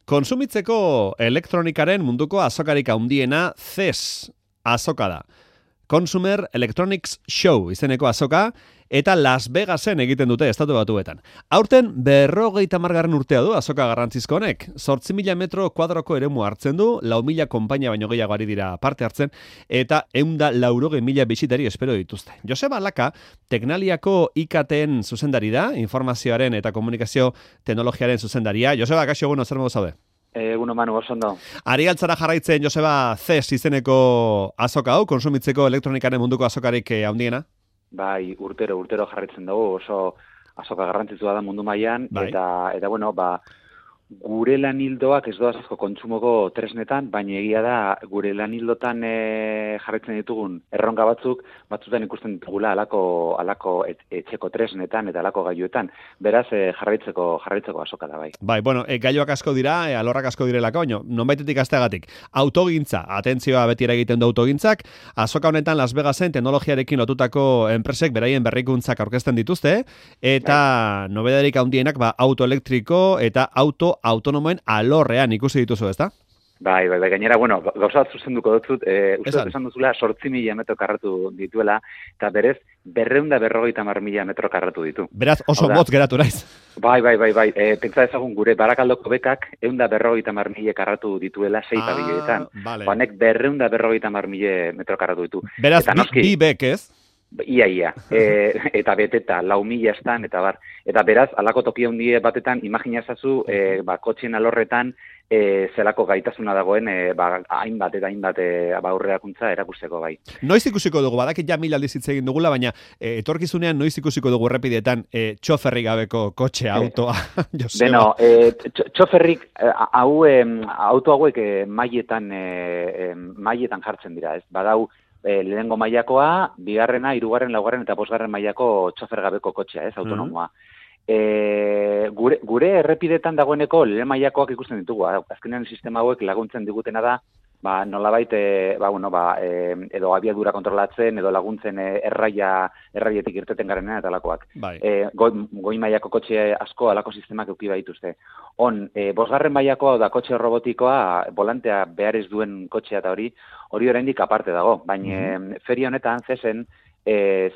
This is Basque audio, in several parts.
Kontsumitzeko elektronikaren munduko azokarik handiena CES azoka da. Consumer Electronics Show izeneko azoka, eta Las Vegasen egiten dute Estatu Batuetan. Aurten 50. urtea du azoka garrantzizko honek. 8.000 metro kuadroko eremu hartzen du, 4.000 konpainia baino gehiago ari dira parte hartzen, eta 180.000 bisitari espero dituzte. Joseba Laka, Teknaliako IKTen zuzendari da, informazioaren eta komunikazio teknologiaren zuzendaria. Joseba, kaixo, zer modu zaude? Eguno Manu, oso ondo. Ari altzara jarraitzen, Joseba, CES izeneko azoka hau, kontsumitzeko elektronikaren munduko azokarik handiena? Bai, urtero jarraitzen dugu, oso azoka garrantzitsua da mundu mailan, bai. eta bueno, gure lanildoak ez doaz asko kontsumoko tresnetan, baina egia da gure lanildotan jarraitzen ditugun erronka batzutan ikusten ditugula alako etxeko tresnetan eta alako gailuetan. Beraz, jarraitzeko azoka da bai. Bai, bueno, gailuak asko dira, alorrak asko direlako, nonbaitetik asteagatik. Autogintza, atentzioa beti egiten du autogintzak, azoka honetan Las Vegasen teknologiarekin lotutako enpresek beraien berrikuntzak aurkezten dituzte, eta nobedarik handienak autoelektriko eta autonomoen alorrean ikusi dituzu, ezta? Bai, gainera, bueno, gauza bat zuzenduko dutzut, uste esan duzula 8.000 metro karratu dituela, eta berez, 250.000 metro karratu ditu. Beraz, oso motz geratu naiz. Bai, pentsa ezagun gure Barakaldoko bekak 150.000 karratu dituela 6 pabilletan. Vale. Honek 250.000 metro karratu ditu. Beraz, bi bek, ez? Ia. Eta beteta, 4.000 estan, eta bar. Eta beraz, alako toki handie batetan, imaginazazu, kotxien alorretan, zelako gaitasuna dagoen, hainbat aurrerakuntza erakusteko bai. Noiz ikusiko dugu, badakit ja 1000 aldiz hitz egin dugula, baina etorkizunean noiz ikusiko dugu errepidetan txoferrik gabeko kotxea, autoa. Beno, txoferrik, auto hauek mailetan jartzen dira, ez? Badau, lehenengo mailakoa, 2., 3., 4. eta 5. mailako txofer gabeko kotxea, ez, autonomoa. Gure errepidetan dagoeneko lehen mailakoak ikusten ditugu. Azkenean sistema hauek laguntzen digutena da, nolabait, edo abiadura kontrolatzen, edo laguntzen erraietik irteten garenean eta alakoak. Bai. Goi mailako kotxe asko alako sistemak euki baituzte. 5. mailakoa da kotxe robotikoa, volantea behar ez duen kotxea eta hori oraindik aparte dago. Baina feria honetan, CESen,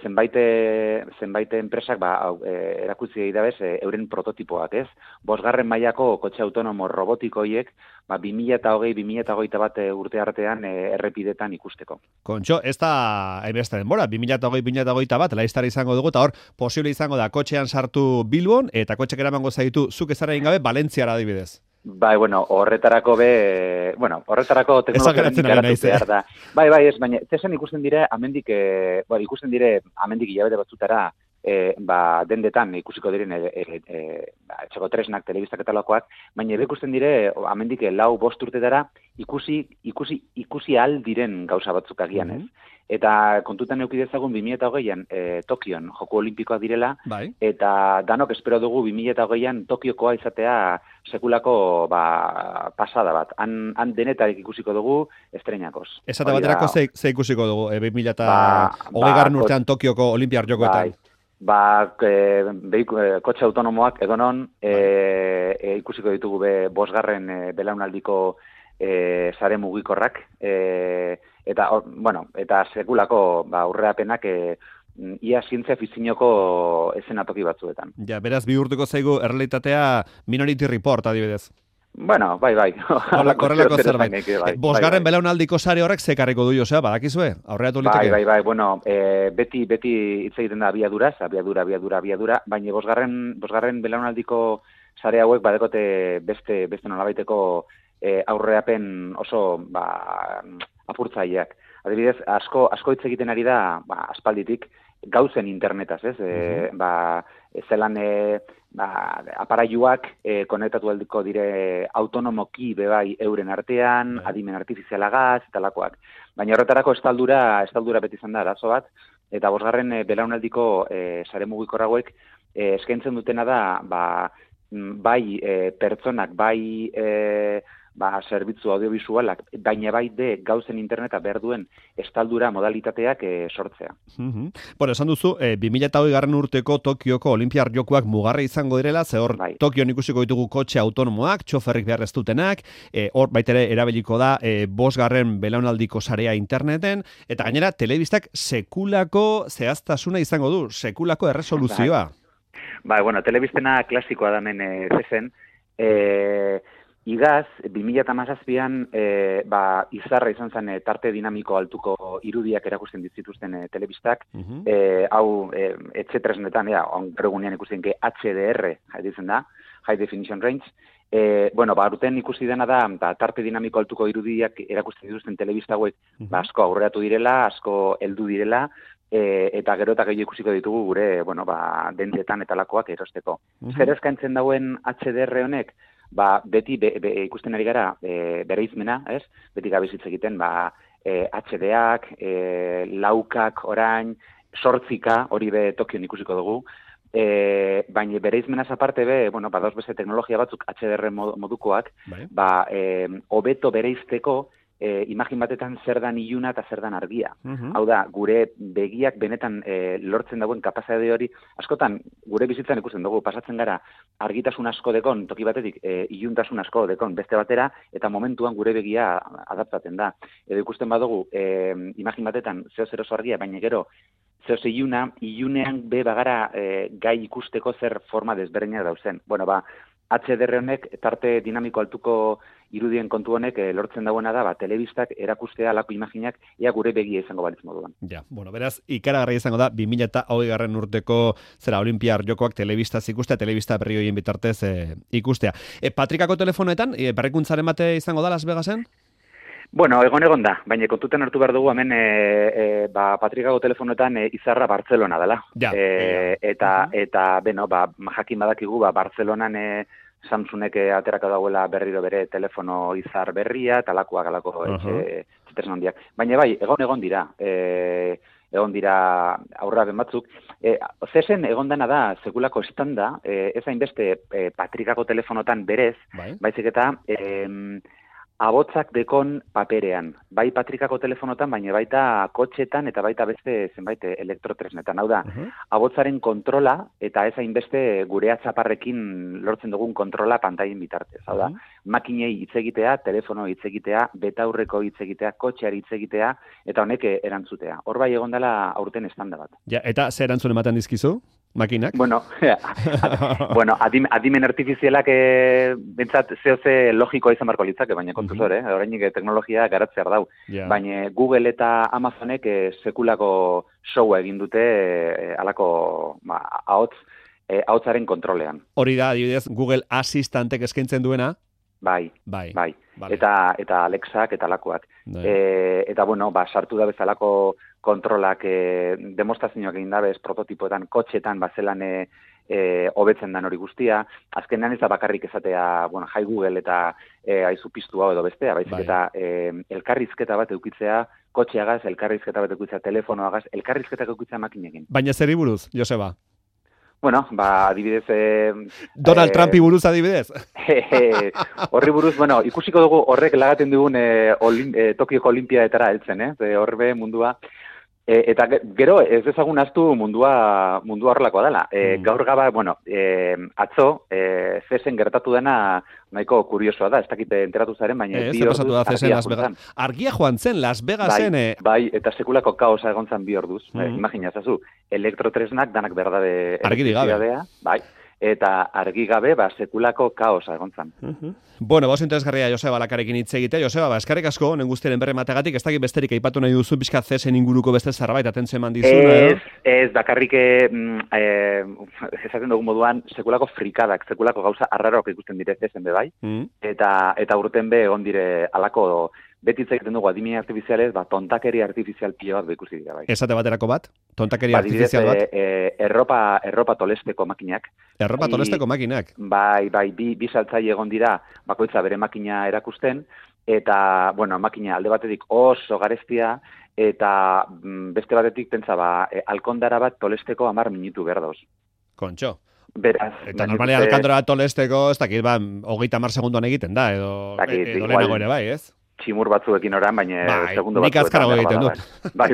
zenbait enpresak erakutsi egidabez euren prototipoak, ez? 5. mailako kotxe autonomo robotikoiek 2020-2021 urte artean errepidetan ikusteko. Kontxo, ez da beste denbora, 2020-2021 laiztara izango dugu, eta hor, posible izango da kotxean sartu Bilbon, eta kotxek eramango zaitu zuk ezara gabe Valentziara adibidez. Bai, horretarako teknologiaren ikaratu behar da. Bai, ez, baina, zesan ikusten dire, amendik hilabete batzutara, dendetan ikusiko diren etxeko tresnak, telebistak eta lakoak, baina ikusten dire, amendik 4-5 urtetara, ikusi al diren gauza batzuk agian, ez? Eta kontutan euki dezagun 2020an Tokion Joko Olimpikoak direla, bai. Eta danok espero dugu 2020an Tokiokoa izatea sekulako pasada bat. Han denetarik ikusiko dugu estreinakoz. Esate baterako ze ikusiko dugu 2020 urtean Tokioko Olimpiar Jokoetan. Kotxe autonomoak edonon ikusiko ditugu 5. belaunaldiko sare mugikorrak, eta sekulako aurrerapenak ia zientzia fikzioko eszenatoki batzuetan. Ja, beraz, bihurtuko zaigu errealitatea Minority Report adibidez. Bueno, bai. Horrelako zerbait. 5. belaunaldiko sare horrek zekarriko du, Josea, badakizue? Aurreratu liteke? Bai, bueno, beti hitz egiten da abiadura, baina 5. belaunaldiko sare hauek badekote beste nolabaiteko aurrerapen oso apurtzaileak. Adibidez, asko hitz egiten ari da aspalditik gauzen internetaz, ez? Zelan aparailuak konektatu aldiko dire autonomoki bebai euren artean, adimen artifizialagaz eta lakoak. Baina horretarako estaldura beti izan da arazo bat, eta 5. belaunaldiko sare mugikorra hauek eskaintzen dutena da bai pertsonak, bai zerbitzu audiovisualak, baina baide gauzen interneta behar duen estaldura modalitateak sortzea. Bueno, esan duzu, 2020 urteko Tokioko Olimpiar Jokoak mugarra izango direla, ze hor Tokion ikusiko ditugu kotxe autonomoak, txoferrik behar ez dutenak, hor baitere erabiliko da 5. belaunaldiko sarea interneten, eta gainera telebistak sekulako zehaztasuna izango du, sekulako erresoluzioa. Bueno, telebistena klasikoa da hemen zezen, igaz, 2017an izarra izan zen tarte dinamiko altuko irudiak erakusten dituzten telebistak, hau etxetresnetan, ongerugunean ikusten HDR, ditzen da, High Definition Range, aurten ikusi dena da, tarte dinamiko altuko irudiak erakusten dituzten telebista hauek, asko aurreratu direla, asko heldu direla, eta gero eta gehiago ikusiko ditugu gure, dendetan eta lakoak erosteko. Zer eskaintzen dauen HDR honek, beti ikusten ari gara bereizmena, ez? Beti gabezitz egiten, HDak, laukak, orain, 8K, hori be Tokion ikusiko dugu, baina bereizmenaz aparte dauz beste teknologia batzuk HDR modukoak, hobeto bereizteko imagin batetan zer dan iluna eta zer dan argia. Hau da, gure begiak benetan lortzen dauen kapazade hori, askotan gure bizitzan ikusten dugu, pasatzen gara argitasun asko dekon, toki batetik iluntasun asko dekon beste batera, eta momentuan gure begia adaptatzen da. Edo ikusten badugu, imagin batetan zeo oso argia, baina gero zeo ilunean bagara gai ikusteko zer forma desberdinak dauzen. HDR honek, tarte dinamiko altuko irudien kontu honek lortzen dauena da, telebistak erakustea alako imaginak ea gure begia izango balitz moduan. Beraz, ikaragarria izango da 2020 urteko Olimpiar Jokoak telebistaz ikustea, telebista berri horien bitartez ikustea. Patrikako telefonoetan, berrikuntzaren bate izango da Las Vegasen? Egon da, baina kontuten hartu behar dugu hemen Patrikako telefonoetan izarra Bartzelona dela. Eta jakin badakigu Bartzelonan Samsungek aterako dauela berriro bere telefono izar berria, talakoak alako etxetesan handiak. Baina egon dira. Egon dira aurraben batzuk. Zesen egon dena da, sekulako estanda, ez hainbeste Patrikako telefonotan berez, baizik eta abotzak dekon paperean, bai Patrikako telefonotan, baina baita kotxetan eta baita beste zenbait elektrotresnetan. Hau da, abotzaren kontrola eta ez hainbeste gure atzaparrekin lortzen dugun kontrola pantaien bitartez. Hau da, makinei hitz egitea, telefono hitz egitea, betaurreko hitz egitea, kotxeari hitz egitea, eta honek erantzutea. Hor bai egon dela aurten estanda bat. Eta zer erantzun ematen dizkizu? Makinak? Adimen artifizialak bentsat zehose logikoa izan barko litzake, baina kontuz hori, horreinik teknologia garatzear dau. Baina Google eta Amazonek sekulako showa egin dute alako ahotsaren kontrolean. Hori da, adibidez, Google Assistantek eskaintzen duena? Bai. Eta Alexak eta alakoak. Eta sartu da bezalako kontrolak demostrazioak egin dabez prototipoetan, kotxetan, bazelan hobetzen dan hori guztia. Azkenean ez da bakarrik ezatea, jai Google eta aizu piztu hau edo bestea, baizik eta elkarrizketa bat eukitzea, kotxeagaz, elkarrizketa bat eukitzea, telefonoagaz, elkarrizketak eukitzea makinekin. Baina zeri buruz, Joseba? Adibidez... Donald Trumpi buruz adibidez? Horri buruz, ikusiko dugu horrek lagaten dugun Tokioko Olimpiadetara heltzen, horbe mundua. Eta gero, ez dezagun aztu mundua horrelakoa dela. Gaur gaba, atzo, Zesen gertatu dena nahiko kuriosoa da, ez dakit enteratu zaren, baina bi orduz argia joan zen, Las Vegasen. Bai, eta sekulako kaosa egon zen 2 orduz. Imagina, zazu, elektrotresnak danak berdade elektrizidadea, bai, eta argi gabe, sekulako kaosa egon zen. Bos interesgarria Joseba Lakarekin hitz egite. Joseba, eskerrik asko, honen guztiaren berri mategatik, ez dakit besterik aipatu nahi duzu, pixka Zesen inguruko beste zerbait, atentzio eman dizuna. Ez, bakarrik esaten dugun moduan, sekulako frikadak, sekulako gauza arraroak ikusten dire Zesen be bai, eta urten be egon dire alako beti hitz egiten dugu adimen artifizialez, tontakeri artifizial pilo bat ikusi dira bai. Esate baterako bat? Tontakeri artifizial bat? Erropa tolesteko makinak. Erropa tolesteko makinak? Bai, bi saltzaile egon dira, bakoitza bere makina erakusten, eta, makina alde batetik oso garestia, eta beste batetik pentsa, alkondara bat tolesteko 10 minutu berdoz. Kontxo. Beraz. Eta normalean alkandora tolesteko, ez dakit, 30 segunduan egiten da, edo lehenago ere bai, ez? Tximur batzuekin oran, baina segundo nik azkarago egiten dut. Bai.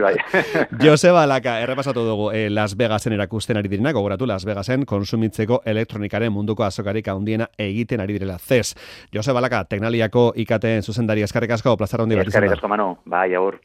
Joseba Laka, errepasatu dugu Las Vegasen erakusten ari direna, gogoratu Las Vegasen konsumitzeko elektronikaren munduko azokarik handiena egiten ari direla. CES. Joseba Laka, Teknaliako IKT zuzendari eskerrik asko, plazara handi bat izan da. Eskerrik asko, Manu. Bai, agur.